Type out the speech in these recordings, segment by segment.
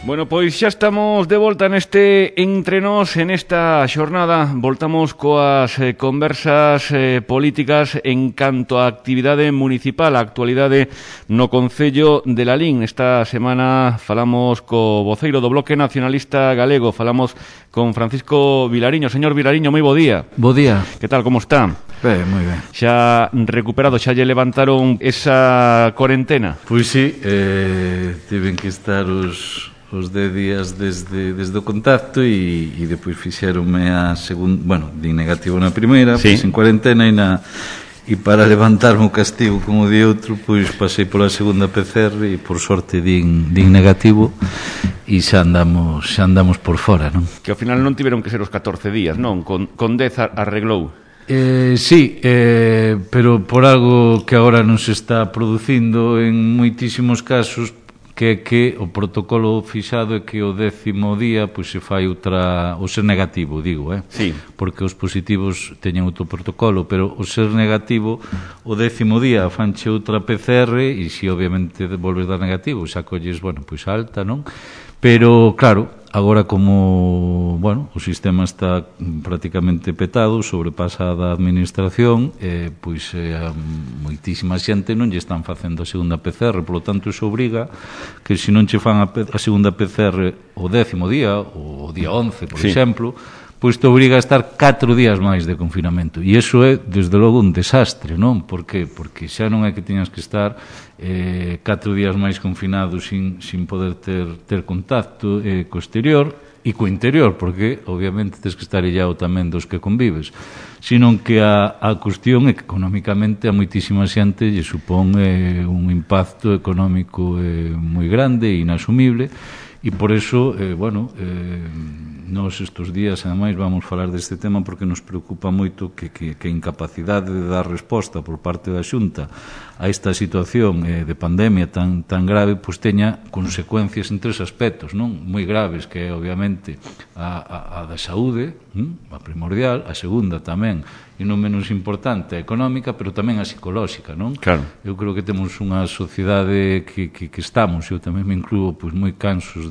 Bueno, pois xa estamos de volta neste Entre Nós, en esta xornada. Voltamos coas conversas políticas en canto á actividade municipal, a actualidade no Concello de Lalín. Esta semana falamos co voceiro do Bloque Nacionalista Galego, falamos con Francisco Vilariño. Señor Vilariño, moi bo día. Bo día. Que tal, como está? Moi ben. Xa recuperado, xa lle levantaron esa cuarentena? Pois sí, tiven que estar os 10 días desde o contacto e depois fixeronme a segunda, bueno, di negativo na primeira, sí. Pois en cuarentena e para levantarme o castigo como di outro, pois pasei pola segunda PCR e por sorte din negativo e xa andamos por fora, non? Que ao final non tiveron que ser os 14 días, non? Con 10 arreglou. Sí, pero por algo que agora non se está producindo en moitísimos casos, que o protocolo fixado é que o 10º día pois se fai outra, o ser negativo, digo, sí. Porque os positivos teñen outro protocolo, pero o ser negativo o 10º día fanche outra PCR e se obviamente volves dar negativo, xa colles, bueno, pois alta, non? Pero claro, agora como, bueno, o sistema está prácticamente petado, sobrepasa da administración, pois a moitísima xente non lle están facendo a segunda PCR, polo tanto iso obriga que se non che fan a segunda PCR o 10º día, ou o día 11, por exemplo, pois te obriga a estar 4 días máis de confinamento. E iso é, desde logo, un desastre, non? Por que? Porque xa non é que teñas que estar 4 días máis confinado sin poder ter contacto co exterior e co interior, porque, obviamente, tens que estar illado tamén dos que convives. Sino que a cuestión é que, económicamente, a moitísima xente lle supón un impacto económico moi grande e inasumible, e por eso, nós estes días, ademais, vamos falar deste tema porque nos preocupa moito que a incapacidade de dar resposta por parte da Xunta a esta situación de pandemia tan grave, pois teña consecuencias en 3 aspectos, non? Moi graves, que é, obviamente, a da saúde, a primordial, a segunda tamén, e non menos importante, a económica, pero tamén a psicolóxica, non? Claro. Eu creo que temos unha sociedade que estamos, eu tamén me incluo, pois moi cansos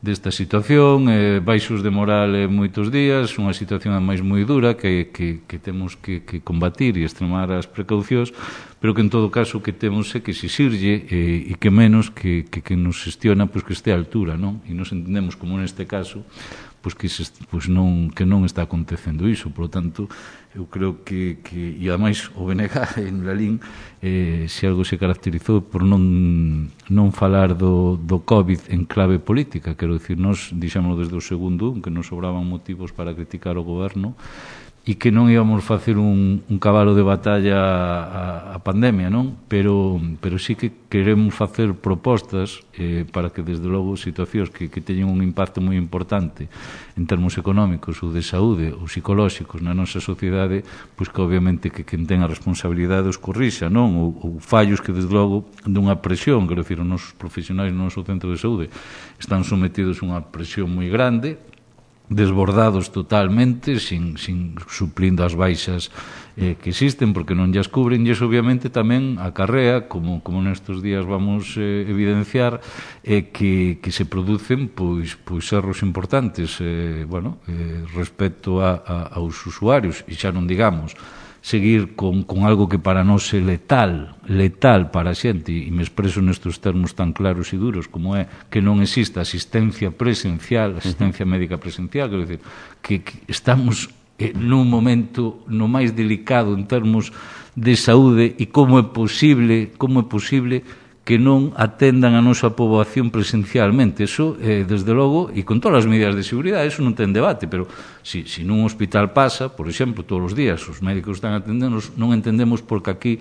desta situación, baixos de moral moitos días, unha situación ademais moi dura que temos que combatir e extremar as precaucións, pero que en todo caso o que temos é que exixirlle e que menos que nos xestiona pois que este a altura, non? E nos entendemos como neste caso pois que non está acontecendo iso, por lo tanto eu creo que e ademais o BNG en Lalín se algo se caracterizou por non falar do COVID en clave política, quero dicir, nós dixémoslo desde o segundo, que nos sobraban motivos para criticar o goberno e que non íbamos facer un cabalo de batalla a pandemia, non? Pero sí que queremos facer propostas para que, desde logo, situacións que teñen un impacto moi importante en termos económicos ou de saúde ou psicolóxicos na nosa sociedade, pois que obviamente que quen ten a responsabilidade os corrixa, non? Ou fallos que, desde logo, dunha presión, quero dicir, os nosos profesionais no noso centro de saúde están sometidos a unha presión moi grande, desbordados totalmente, sin suplindo as baixas que existen, porque non llas cubren, e iso obviamente tamén acarrea, como nestes días vamos evidenciar, que se producen pois erros importantes respecto aos usuarios, e xa non digamos seguir con algo que para nós é letal para a xente, e me expreso nestes termos tan claros e duros como é que non existe asistencia presencial, asistencia médica presencial, quero dicir, que estamos nun momento no máis delicado en termos de saúde, e como é posible que non atendan a nosa poboación presencialmente. Eso, desde logo, e con todas as medidas de seguridade, eso non ten debate, pero se nun hospital pasa, por exemplo, todos os días os médicos están atendendo, non entendemos por que aquí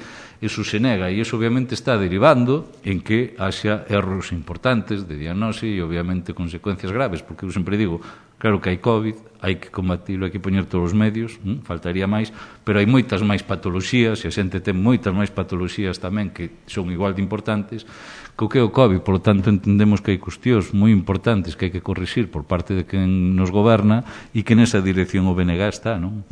eso se nega, e eso obviamente está derivando en que haxa erros importantes de diagnose e obviamente consecuencias graves, porque eu sempre digo, claro que hai COVID, hai que combatilo, hai que poñer todos os medios, faltaría máis, pero hai moitas máis patoloxías, e a xente ten moitas máis patoloxías tamén que son igual de importantes que o COVID. Por lo tanto, entendemos que hai cuestións moi importantes que hai que corrixir por parte de quen nos goberna e que nesa dirección o BNG está, non?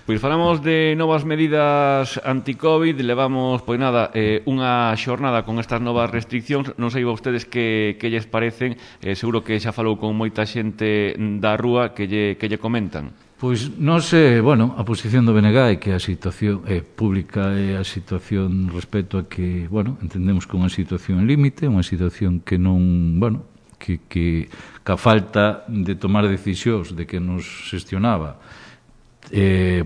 Pois falamos de novas medidas anti-COVID, levamos, pois nada, unha xornada con estas novas restriccións, non sei a vostedes que lles parecen, seguro que xa falou con moita xente da rúa que lle comentan. Pois non sei, bueno, a posición do BNG é que a situación pública é a situación respecto a que, bueno, entendemos que é unha situación límite, unha situación que non, bueno, que a falta de tomar decisións de que nos xestionaba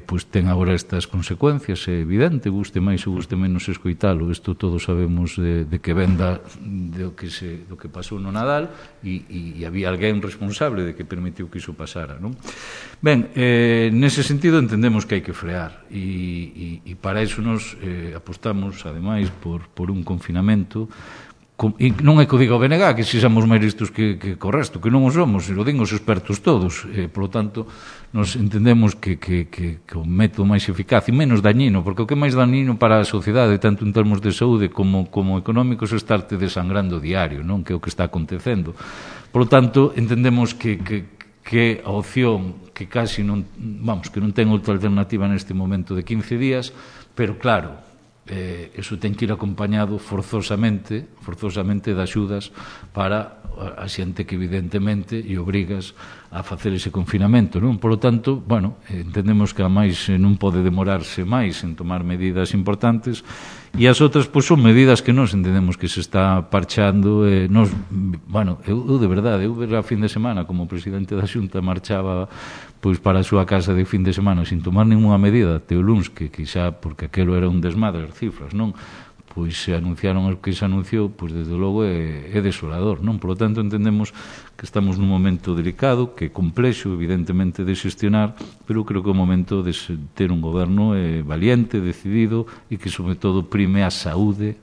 pois ten agora estas consecuencias, é evidente, guste máis ou guste menos escoitalo, isto todos sabemos de que venda do que pasou no Nadal e había alguén responsable de que permitiu que iso pasara, non? Ben, nese sentido entendemos que hai que frear e para iso nos apostamos ademais por un confinamento. E non é que o diga o BNG que sexamos máis listos que o resto, que non o somos, o din os expertos todos, por lo tanto nos entendemos que o método máis eficaz e menos dañino, porque o que é máis dañino para a sociedade, tanto en termos de saúde como económicos, é estarte desangrando diario, non? Que é o que está acontecendo. Por lo tanto, entendemos que a opción que casi non, vamos, que non ten outra alternativa neste momento de 15 días, pero claro, eso ten que ir acompañado forzosamente de axudas para a xente que evidentemente e obrigas a facer ese confinamento, non? Por lo tanto, bueno, entendemos que a máis non pode demorarse máis en tomar medidas importantes e as outras, pois, son medidas que nós entendemos que se está parchando nos, bueno, eu de verdade, eu a fin de semana como presidente da Xunta marchaba pois para a súa casa de fin de semana sin tomar ninguna medida até o luns, que xa, porque aquelo era un desmadre as cifras, non? Pois se anunciaron o que se anunciou, pois desde logo é desolador, non? Por lo tanto, entendemos que estamos nun momento delicado, que é complexo, evidentemente, de xestionar, pero creo que é o momento de ter un goberno valiente, decidido, e que, sobre todo, prime a saúde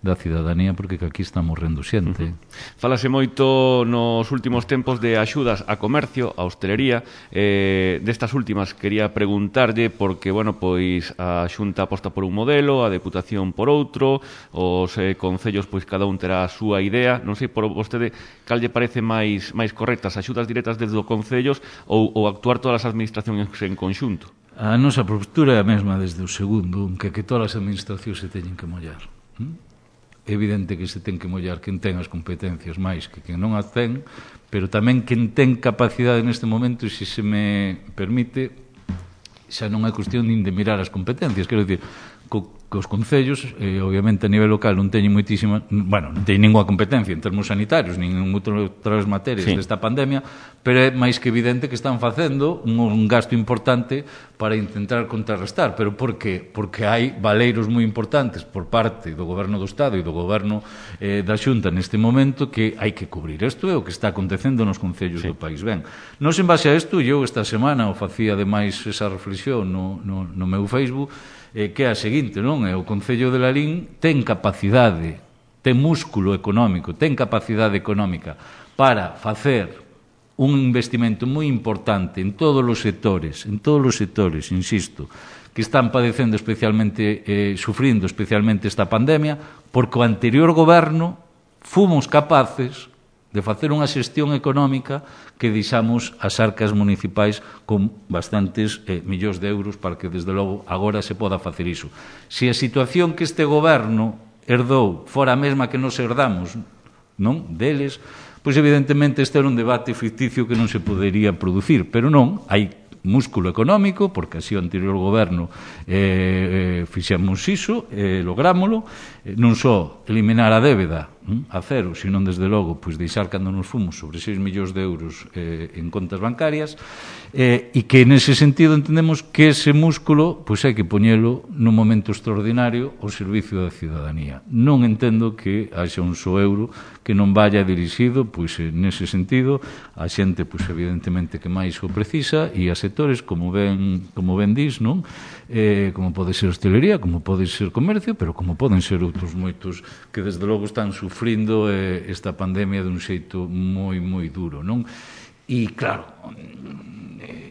da cidadanía, porque que aquí está morrendo xente. Falase moito nos últimos tempos de axudas a comercio, a hostelería. Destas últimas quería preguntarlle, porque, bueno, pois a Xunta aposta por un modelo, a Deputación por outro, os concellos, pois cada un terá a súa idea. Non sei por vostede cal lle parece máis correctas, axudas directas desde os concellos ou actuar todas as administracións en conxunto? A nosa postura é a mesma desde o segundo, que todas as administracións se teñen que mollar. É evidente que se ten que mollar quen ten as competencias máis que quen non as ten, pero tamén quen ten capacidade neste momento, e se me permite, xa non é cuestión nin de mirar as competencias, quero dicir, que os concellos, obviamente a nivel local non teñen moitísima, bueno, non teñen ninguna competencia en termos sanitarios, nin en outras materias desta pandemia, pero é máis que evidente que están facendo un gasto importante para intentar contrarrestar. Pero por qué? Porque hai valeiros moi importantes por parte do Goberno do Estado e do Goberno da Xunta neste momento que hai que cubrir. Isto é o que está acontecendo nos concellos do país. Ben, non en base a isto, eu esta semana o facía ademais esa reflexión no meu Facebook, que é a seguinte, non? O Concello de Lalín ten capacidade, ten músculo económico, ten capacidade económica para facer un investimento moi importante en todos os sectores, insisto, que están padecendo especialmente, sufrindo especialmente esta pandemia, porque o anterior goberno fomos capaces de facer unha xestión económica que deixamos as arcas municipais con bastantes millóns de euros para que, desde logo, agora se poda facer iso. Se a situación que este goberno herdou fora a mesma que nos herdamos, non, deles, pois evidentemente este era un debate ficticio que non se podería producir, pero non, hai músculo económico, porque así o anterior goberno fixemos iso, lográmolo, non só eliminar a débeda a cero, senón desde logo pois deixar cando nos fomos sobre 6 millóns de euros en contas bancarias, e que nese sentido entendemos que ese músculo pois hai que poñelo nun momento extraordinario ao servicio da cidadanía. Non entendo que haxa un só euro que non vaya dirixido pois nese sentido a xente pois evidentemente que máis o precisa e a sectores como ben dis, non? Como pode ser hostelería, como pode ser comercio, pero como poden ser outros moitos que desde logo están sufrindo esta pandemia dun xeito moi, moi duro, non? E, claro,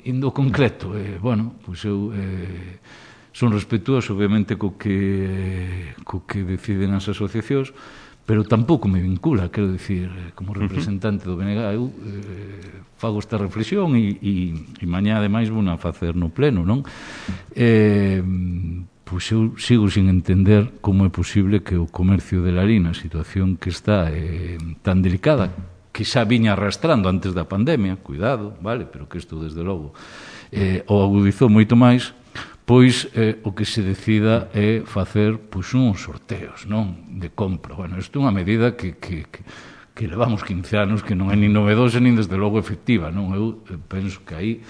indo concreto, bueno, pois eu son respetuoso, obviamente, co que deciden as asociacións, pero tampouco me vincula, quero dicir, como representante do BNG, eu fago esta reflexión e mañá, ademais, vou a facer no pleno, non? Pois eu sigo sin entender como é posible que o comercio de Lalín, a situación que está tan delicada, que xa viña arrastrando antes da pandemia, cuidado, vale, pero que isto, desde logo, o agudizou moito máis, pois o que se decida é facer pois uns sorteos, non, de compra. Bueno, isto é unha medida que levamos 15 anos, que non é nin novedosa, nin desde logo efectiva, non? Eu penso que aí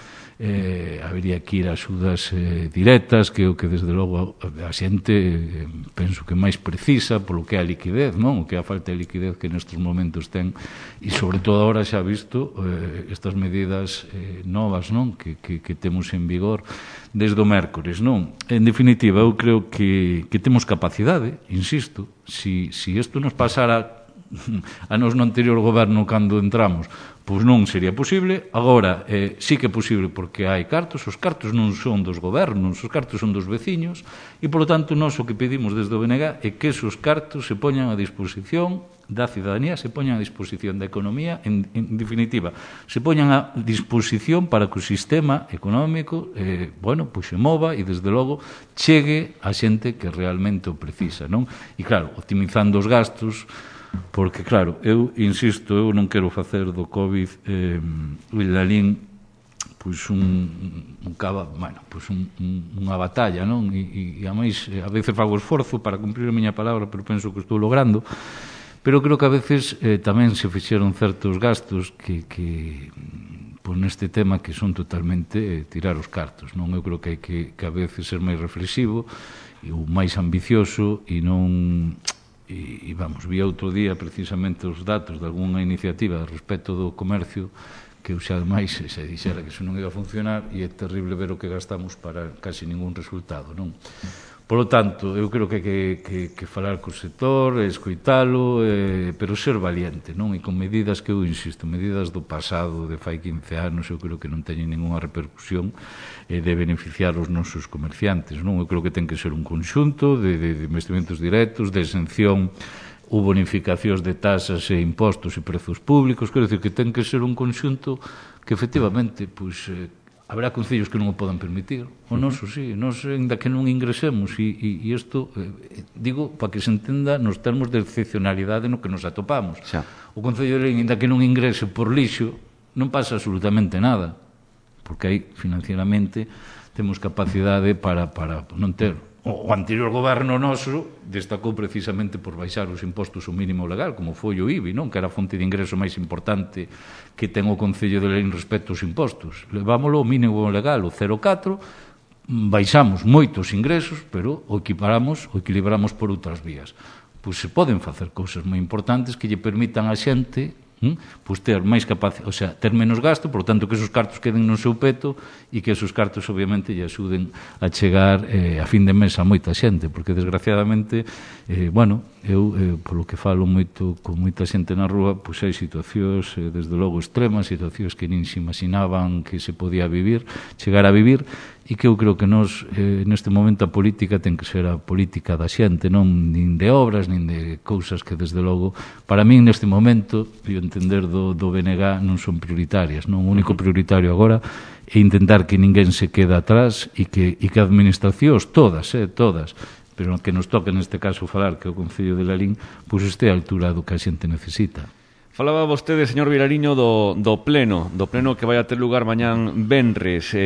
habería que ir a axudas directas, que é o que desde logo a xente penso que máis precisa polo que é a liquidez, non? O que é a falta de liquidez que nestes momentos ten, e sobre todo agora xa visto estas medidas novas, non? Que temos en vigor desde o mércores, non? En definitiva, eu creo que temos capacidade, insisto, si isto nos pasara a nos no anterior goberno cando entramos, pois non sería posible. Agora sí que é posible porque hai cartos, os cartos non son dos gobernos, os cartos son dos veciños, e polo tanto nós o que pedimos desde o BNG é que esos cartos se poñan a disposición da cidadanía, se poñan a disposición da economía, en definitiva, se poñan a disposición para que o sistema económico bueno, pois se mova e desde logo chegue a xente que realmente o precisa, non? E claro, optimizando os gastos, porque claro, eu insisto, eu non quero facer do COVID Lalín pois unha batalla, non? E a máis, a veces fago esforzo para cumprir a miña palabra, pero penso que estou logrando. Pero creo que a veces tamén se fixeron certos gastos que pois neste tema que son totalmente tirar os cartos, non? Eu creo que hai que a veces ser máis reflexivo e o máis ambicioso e non... E vamos, vi outro día precisamente os datos de algunha iniciativa respecto do comercio que eu xa ademais se dixera que iso non iba a funcionar, e é terrible ver o que gastamos para casi ningún resultado, non? Polo tanto, eu creo que hai que falar co sector, escoitalo, pero ser valiente, non? E con medidas que eu insisto, medidas do pasado, de fai 15 anos, eu creo que non teñen ninguna repercusión de beneficiar os nosos comerciantes, non? Eu creo que ten que ser un conxunto de investimentos directos, de exención ou bonificacións de tasas e impostos e prezos públicos, quero dicir que ten que ser un conxunto que efectivamente, pois, haberá concellos que non o podan permitir, o noso sí, nós ainda que non ingresemos, e isto, digo, para que se entenda nos termos de excepcionalidade no que nos atopamos. Xa. O Concello de Lalín, ainda que non ingrese por lixo, non pasa absolutamente nada, porque aí, financieramente, temos capacidade para non ter. O anterior goberno noso destacou precisamente por baixar os impostos ao mínimo legal, como foi o IBI, non? Que era a fonte de ingreso máis importante que ten o Concello de Lalín respecto aos impostos. Levámoslo ao mínimo legal, o 0,4, baixamos moitos ingresos, pero o equilibramos por outras vías. Pois se poden facer cousas moi importantes que lle permitan a xente pois ter máis capacidade, o sea, ter menos gasto, por tanto que esos cartos queden no seu peto e que esos cartos obviamente lle axuden a chegar a fin de mes a moita xente, porque desgraciadamente bueno, eu polo que falo moito con moita xente na rúa, pois hai situacións desde logo extremas, situacións que nin se imaginaban que se podía vivir, chegar a vivir, e que eu creo que nós neste momento a política ten que ser a política da xente, non nin de obras, nin de cousas que desde logo para min neste momento, e o entender do BNG non son prioritarias, non? O único prioritario agora é intentar que ninguén se quede atrás e que administracións todas, pero que nos toque neste caso falar que o Concello de Lalín pois este a altura do que a xente necesita. Falaba vostede, señor Vilariño, do pleno que vai a ter lugar mañán venres.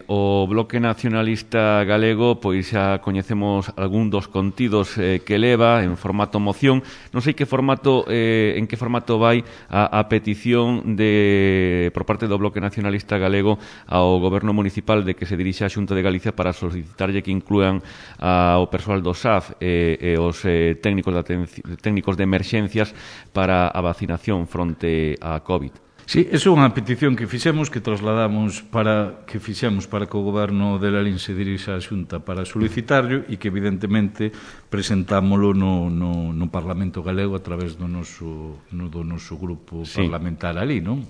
O Bloque Nacionalista Galego, pois xa coñecemos algún dos contidos que leva en formato moción. Non sei en que formato vai a petición por parte do Bloque Nacionalista Galego ao Goberno Municipal de que se dirixa a Xunta de Galicia para solicitarlle que inclúan ao persoal do SAF e os técnicos de emerxencias para a vacinación fronte á COVID. Sí, é unha petición que fixemos, que trasladamos para que o Goberno de Lalín se dirixa á Xunta para solicitarlo e que evidentemente presentámolo no Parlamento Galego a través do noso grupo parlamentar ali, non?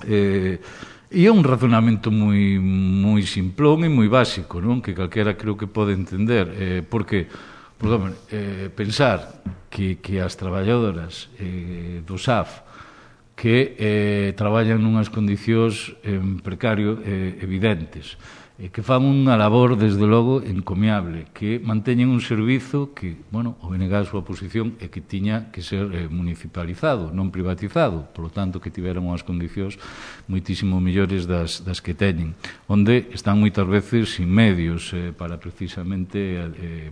E é un razonamento moi simplón e moi básico, non? Que calquera creo que pode entender. Porque, pensar que as traballadoras do SAF que traballan nunhas condicións precario evidentes, que fan unha labor, desde logo, encomiable, que manteñen un servizo que, bueno, o BNG a súa posición é que tiña que ser municipalizado, non privatizado, por lo tanto, que tiveran unhas condicións moitísimo mellores das que teñen, onde están moitas veces sin medios para precisamente,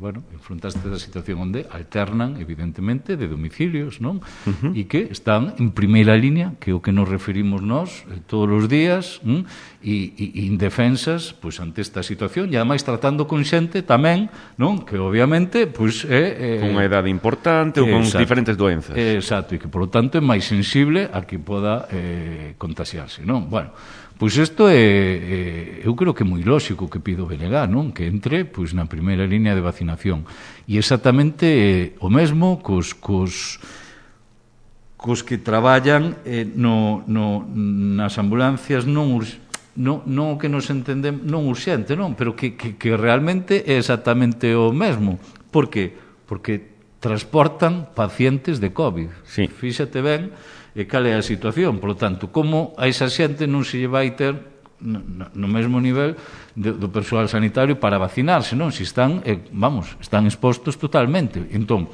bueno, enfrontarse a situación onde alternan, evidentemente, de domicilios, non? E que están en primeira línea, que é o que nos referimos nós todos os días, e indefensas, pois, ante esta situación, e ademais tratando con xente tamén, non? Que obviamente, pois, con unha edade importante ou con diferentes doenzas. Exacto, e que, por lo tanto, é máis sensible a que poda contagiarse, non? Bueno, pois isto eu creo que é moi lóxico que pido o BNG, non? Que entre, pois, na primeira línea de vacinación. E exactamente o mesmo cos que traballan nas ambulancias non que nos entendemos, non urxente, non, pero que realmente é exactamente o mesmo. Por que? Porque transportan pacientes de COVID. Sí. Fíxate ben cal é a situación. Por lo tanto, como a esa xente non se lle vai ter no mesmo nivel do persoal sanitario para vacinarse, non? Se están, están expostos totalmente. Entón,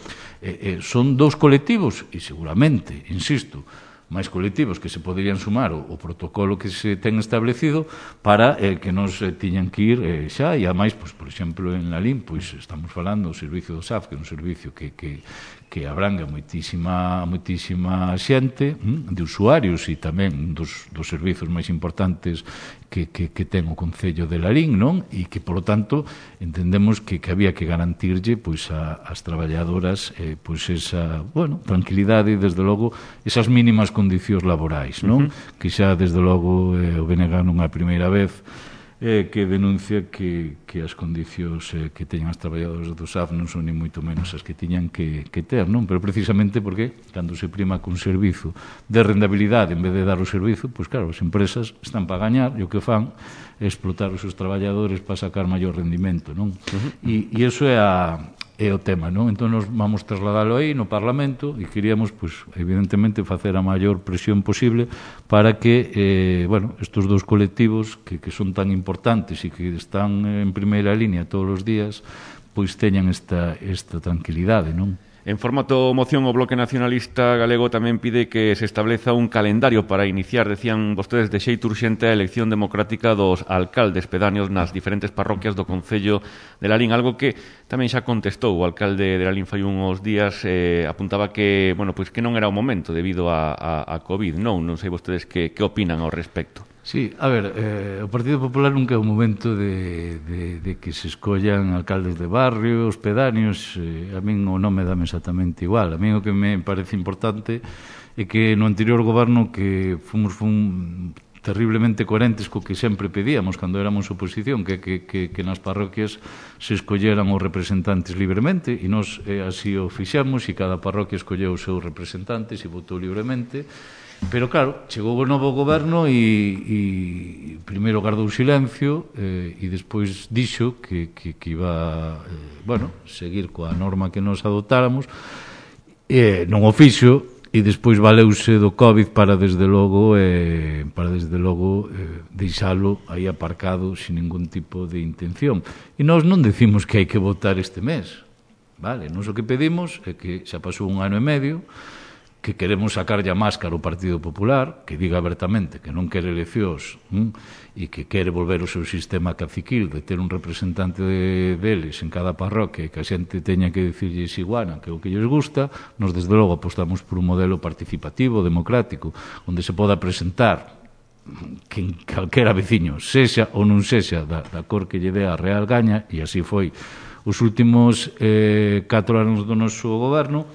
son dous colectivos, e seguramente, insisto, máis colectivos que se poderían sumar o protocolo que se ten establecido para que nos tiñan que ir xa, e ademais, por exemplo, en Lalín, pois estamos falando do servicio do SAF, que é un servicio que abranga moitísima xente de usuarios, e tamén dos servizos máis importantes que ten o Concello de Lalín, non? E que, por lo tanto, entendemos que había que garantirlle, pois, ás traballadoras, pois, esa, bueno, tranquilidade e, desde logo, esas mínimas condicións laborais, non? Que xa, desde logo, o BNG non é a primeira vez que denuncia que as condicións que teñen as traballadoras do SAF non son ni moito menos as que tiñan que ter, non? Pero precisamente porque cando se prima cun servizo de rendabilidade en vez de dar o servizo, pois claro, as empresas están para gañar e o que fan é explotar os seus traballadores para sacar maior rendimento, non? E iso é o tema, non? Entón, nos vamos trasladalo aí no Parlamento e queríamos, pois, evidentemente, facer a maior presión posible para que, bueno, estes dous colectivos que son tan importantes e que están en primeira línea todos os días, pois teñan esta tranquilidade, non? En formato moción, o Bloque Nacionalista Galego tamén pide que se estableza un calendario para iniciar, decían vostedes, de xeito urxente a elección democrática dos alcaldes pedáneos nas diferentes parroquias do Concello de Lalín, algo que tamén xa contestou o alcalde de Lalín fai uns días, apuntaba que, bueno, pois que non era o momento debido a COVID, non sei vostedes que opinan ao respecto. Sí, a ver, o Partido Popular nunca é o momento de que se escollan alcaldes de barrios, pedáneos, a min o nome dame exactamente igual. A min o que me parece importante é que no anterior goberno que fomos terriblemente coherentes co que sempre pedíamos cando éramos oposición, que nas parroquias se escolleran os representantes libremente, e nós así o fixemos, e cada parroquia escolleu os seus representantes e votou libremente. Pero claro, chegou o novo goberno e primeiro guardou silencio e despois dixo que iba, bueno, seguir coa norma que nos adoptáramos, non o fixo, e despois valeuse do COVID para desde logo deixalo aí aparcado sin ningún tipo de intención. E nós non decimos que hai que votar este mes, vale? Nós o que pedimos é que xa pasou un ano e medio, que queremos sacarlle a máscara ao Partido Popular, que diga abertamente que non quere eleccións e que quere volver o seu sistema caciquil de ter un representante deles en cada parroquia e que a xente teña que dicirlles iguana que é o que lles gusta. Nos, desde logo, apostamos por un modelo participativo, democrático, onde se poda presentar que calquera veciño, sexa ou non sexa da cor que lle dé a Real Gaña, e así foi os últimos 4 anos do noso goberno.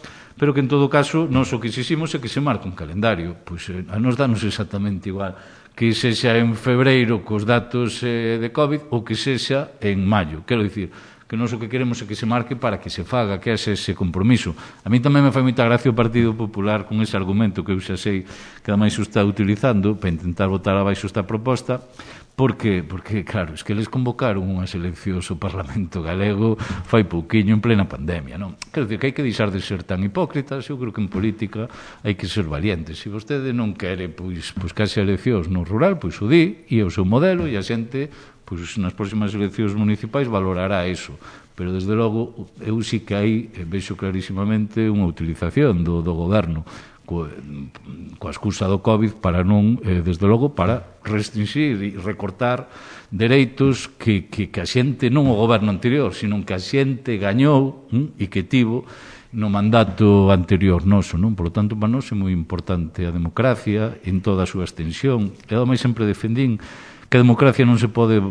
Pero que, en todo caso, nós o que exiximos é que se marque un calendario. Pois a nos danos exactamente igual que sexa en febreiro cos datos de COVID ou que sexa en maio. Quero dicir que nós o que queremos é que se marque para que se faga, que é ese compromiso. A mí tamén me fai moita gracia o Partido Popular con ese argumento que eu xa sei que ademais o está utilizando para intentar votar abaixo esta proposta. Por qué? Porque, claro, es que eles convocaron unhas eleccións ao Parlamento Galego fai pouquiño en plena pandemia, non? Quero dicir que hai que deixar de ser tan hipócritas. Eu creo que en política hai que ser valientes. Se vostede non quere, pois case eleccións no rural, pois o di, e é o seu modelo, e a xente, pois nas próximas eleccións municipais valorará eso. Pero, desde logo, eu sí que hai, vexo clarísimamente, unha utilización do goberno coa excusa do COVID para non, desde logo, para restringir e recortar dereitos que a xente, non o goberno anterior, sino que a xente gañou e que tivo no mandato anterior noso, non? Por lo tanto, para nós é moi importante a democracia en toda a súa extensión. E ademais sempre defendín que a democracia non se pode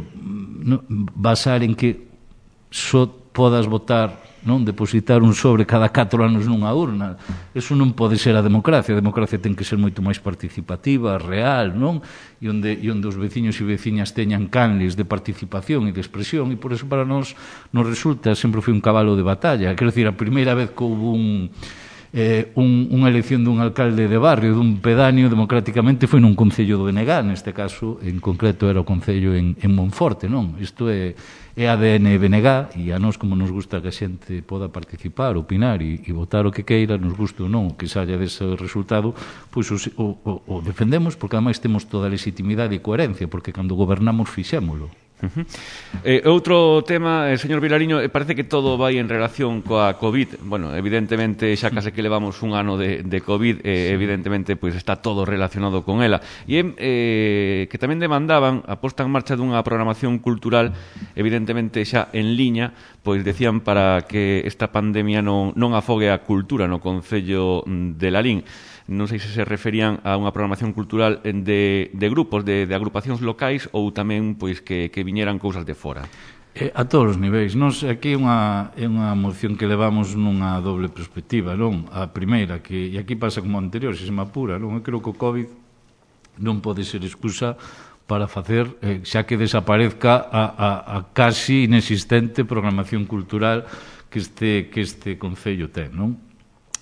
basar en que só podas votar, non, depositar un sobre cada 4 anos nunha urna. Eso non pode ser a democracia. A democracia ten que ser moito máis participativa, real, non? E onde os veciños e veciñas teñan canles de participación e de expresión, e por eso para nós nos resulta, sempre foi un cabalo de batalla. Quero dicir, a primeira vez que houve unha elección dun alcalde de barrio, dun pedáneo, democráticamente foi nun concello do Benegá, neste caso, en concreto era o concello en Monforte, non? Isto é ADN BNG, e a nós, como nos gusta que a xente poda participar, opinar e votar o que queira, nos gusta ou non o que saia dese resultado, pois o defendemos, porque ademais temos toda a legitimidade e coherencia, porque cando gobernamos fixémolo. Outro tema, señor Vilariño, parece que todo vai en relación coa COVID. Bueno, evidentemente xa case que levamos un ano de COVID, evidentemente pois está todo relacionado con ela. E que tamén demandaban a posta en marcha dunha programación cultural, evidentemente xa en liña, pois decían para que esta pandemia non afogue a cultura no concello de Lalín. Non sei se referían a unha programación cultural de grupos, de agrupacións locais, ou tamén pois que viñeran cousas de fora. A todos os niveis. Nos aquí é unha moción que levamos nunha doble perspectiva, non? A primeira, e aquí pasa como anterior, se me apura, non? Eu creo que o COVID non pode ser excusa para facer, xa que desaparezca a casi inexistente programación cultural que este concello ten, non?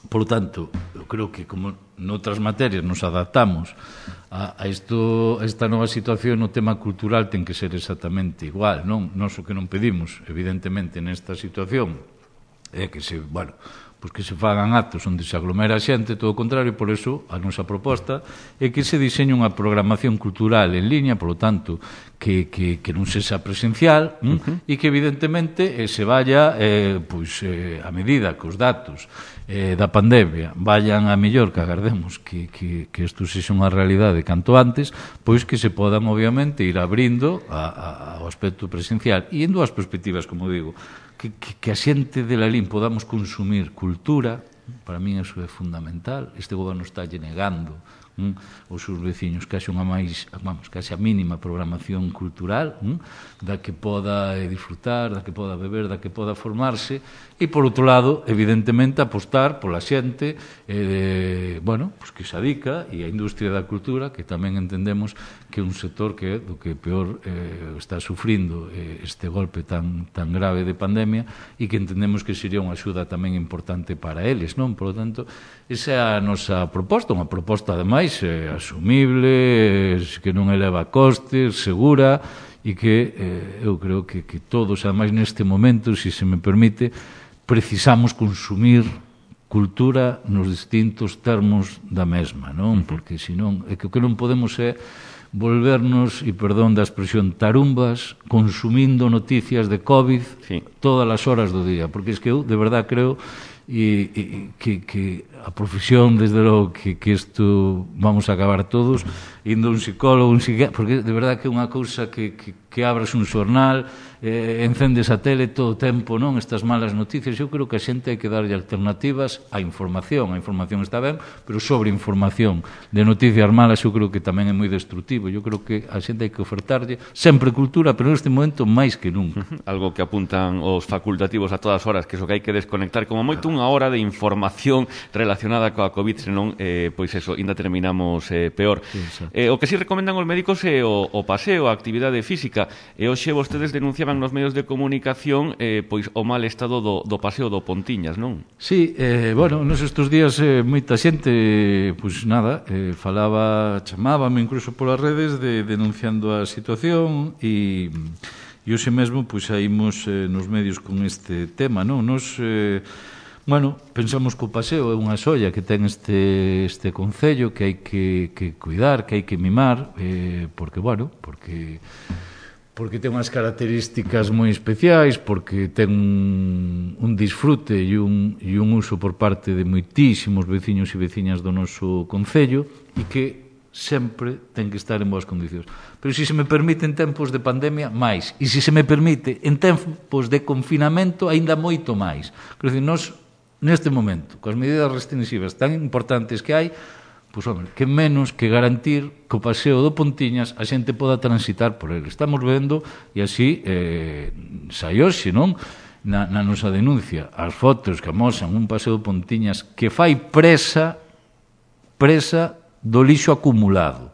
Por lo tanto, eu creo que como noutras materias nos adaptamos a esta nova situación, o tema cultural ten que ser exactamente igual, non? Nós o que non pedimos, evidentemente, nesta situación é que se, pois que se fagan actos onde se aglomera a xente, todo o contrario. Por eso a nosa proposta é que se diseñe unha programación cultural en liña, por lo tanto, que non sexa presencial, e que evidentemente se vaya a medida que os datos da pandemia vayan a mellor, que agardemos que isto sexa unha realidade canto antes, pois que se podan obviamente ir abrindo ao aspecto presencial. E en dúas perspectivas, como digo, que a xente de Lalín podamos consumir cultura. Para mí eso é fundamental. Este goberno está negando os seus veciños que haxa a mínima programación cultural da que poda disfrutar, da que poda beber, da que poda formarse, e por outro lado, evidentemente, apostar pola xente pois que se adica, e a industria da cultura, que tamén entendemos que é un sector que é do que peor está sufrindo este golpe tan grave de pandemia, e que entendemos que sería unha axuda tamén importante para eles, non? Por lo tanto, esa é a nosa proposta, unha proposta ademais asumible, que non eleva costes, segura, e que eu creo que todos, ademais neste momento, se me permite, precisamos consumir cultura nos distintos termos da mesma, non? Porque senón, é que o que non podemos é volvernos, e perdón da expresión, tarumbas, consumindo noticias de COVID todas as horas do día, porque é que eu, de verdad, creo que a profesión, desde logo, que isto vamos a acabar todos indo a un psicólogo, un psiquiatra, porque de verdad que é unha cousa que abres un xornal, encendes a tele todo o tempo, non? Estas malas noticias. Eu creo que a xente hai que darlle alternativas á información. A información está ben, pero sobre información de noticias malas eu creo que tamén é moi destructivo. Eu creo que a xente hai que ofertarlle sempre cultura, pero neste momento máis que nunca. Algo que apuntan os facultativos a todas horas, que iso que hai que desconectar como moito unha hora de información relacionada coa COVID, senón, pois eso, ainda terminamos peor. O que si recomendan os médicos é o paseo, a actividade física. política. E hoxe vostedes denunciaban nos medios de comunicación pois o mal estado do paseo do Pontiñas, non? Sí, bueno, nos estes días moita xente, pois nada, chamábame incluso polas redes denunciando a situación e hoxe mesmo pois saímos nos medios con este tema, non? Nos bueno, pensamos que o paseo é unha xoia que ten este concello que hai que cuidar, que hai que mimar, porque ten unhas características moi especiais, porque ten un disfrute e un uso por parte de moitísimos veciños e veciñas do noso concello e que sempre ten que estar en boas condicións. Pero se me permite en tempos de pandemia, máis. E se me permite en tempos de confinamento, aínda moito máis. Quero dicir, nós neste momento, coas medidas restrictivas tan importantes que hai, pois, home, que menos que garantir que o paseo do Pontiñas a xente poda transitar por ele. Estamos vendo, e así sai hoxe, non? Na nosa denuncia, as fotos que amosan un paseo do Pontiñas que fai presa do lixo acumulado.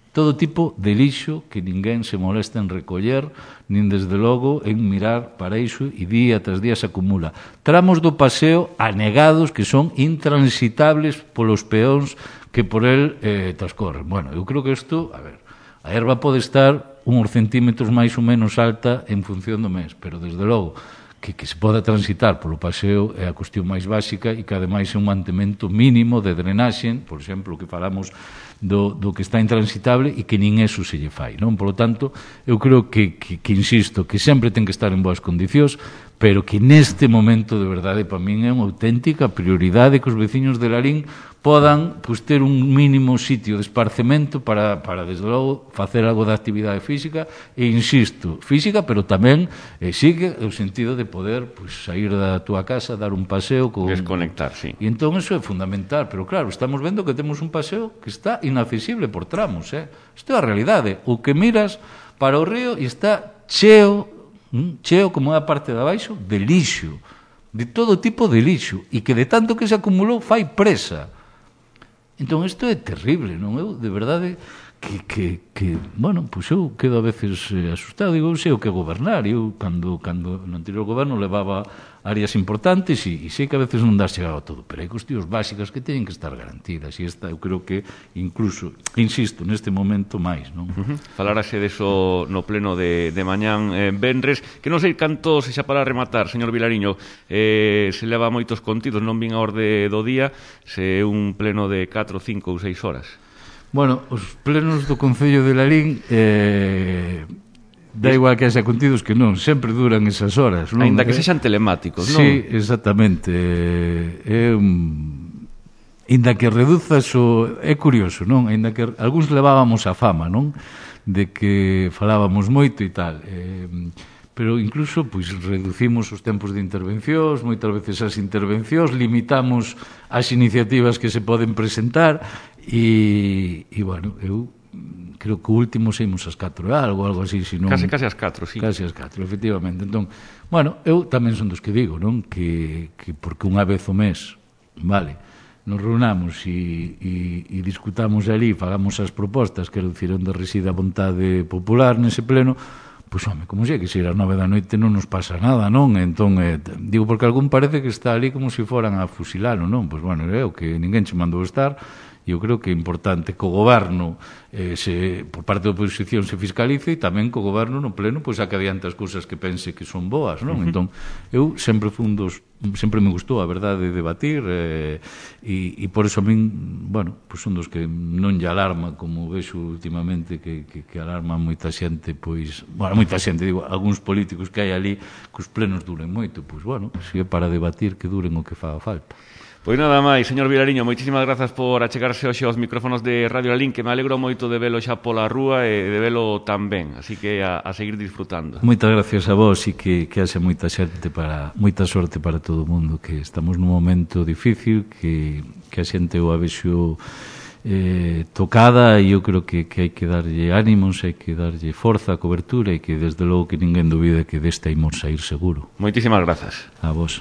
Todo tipo de lixo que ninguén se molesta en recoller, nin desde logo en mirar para iso, e día tras día se acumula. Tramos do paseo anegados que son intransitables polos peóns que por el transcorren. Bueno, eu creo que isto, a erva pode estar uns centímetros máis ou menos alta en función do mes, pero desde logo que se poda transitar polo paseo é a cuestión máis básica e que ademais é un mantemento mínimo de drenaxe, por exemplo, que falamos do que está intransitable e que nin eso se lle fai, non? Por lo tanto, eu creo que insisto, que sempre ten que estar en boas condicións, pero que neste momento, de verdade, para min é unha auténtica prioridade que os veciños de Lalín podan ter un mínimo sitio de esparcemento para desde logo, facer algo de actividade física, e insisto, física, pero tamén sigue o sentido de poder sair da túa casa, dar un paseo desconectar, sí. E entón eso é fundamental, pero claro, estamos vendo que temos un paseo que está inaccesible por tramos, isto é a realidade. O que miras para o río e está cheo como é a parte de abaixo, de lixo, de todo tipo de lixo, e que de tanto que se acumulou fai presa. Entón, isto é terrible, non? Eu, de verdade, que bueno, pois eu quedo a veces asustado, digo, eu sei o que é gobernar, eu, cando no anterior goberno levaba áreas importantes e sei que a veces non dás chegado a todo, pero hai cuestións básicas que teñen que estar garantidas, e esta, eu creo que, incluso, insisto, neste momento máis, non? Falarase deso no pleno de mañán venres, que non sei canto se xa para rematar, señor Vilariño, se leva moitos contidos, non vin a orde do día, se é un pleno de 4, 5 ou 6 horas. Bueno, os plenos do Concello de Lalín dá igual que haxa contidos que non, sempre duran esas horas, non? Ainda que sexan telemáticos, non? Sí, exactamente. Ainda que reduzas é curioso, non? Ainda que algúns levábamos a fama, non? De que falábamos moito e tal. Pero incluso pois reducimos os tempos de intervencións, moitas veces as intervencións, limitamos as iniciativas que se poden presentar e bueno, eu creo que o último saímos ás 4 algo así, senón... Case ás 4, sí. Case ás 4, efectivamente. Entón, bueno, eu tamén son dos que digo, non? Que porque unha vez o mes, vale, nos reunamos e discutamos ali, fagamos as propostas que dicir onde reside a vontade popular nese pleno, pois, home, como sei que se ir ás 9 da noite non nos pasa nada, non? Entón, digo, porque algún parece que está ali como se foran a fusilalo, non? Pois, bueno, é o que ninguén che mandou estar, e eu creo que é importante que o goberno, por parte da oposición, se fiscalice, e tamén que o goberno no pleno saque adiante as cousas que pense que son boas, non? Entón, eu sempre sempre me gustou, a verdade, debatir, e por eso a min, bueno, son dos que non lle alarma, como vexo últimamente, que alarma moita xente, moita xente, digo, algúns políticos que hai ali, que os plenos duren moito, pois, bueno, se é para debatir, que duren o que faga falta. Pois nada máis, señor Vilariño, moitísimas grazas por achegarse hoxe aos micrófonos de Radio Lalín, que me alegro moito de velo xa pola rúa e de velo tan ben, así que a seguir disfrutando. Moitas gracias a vos e que haxe moita sorte para todo o mundo, que estamos nun momento difícil, que a xente o avexo tocada, e eu creo que hai que darlle ánimos, hai que darlle forza, cobertura, e que desde logo que ninguén dubide que deste imos sair seguro. Moitísimas grazas. A vos.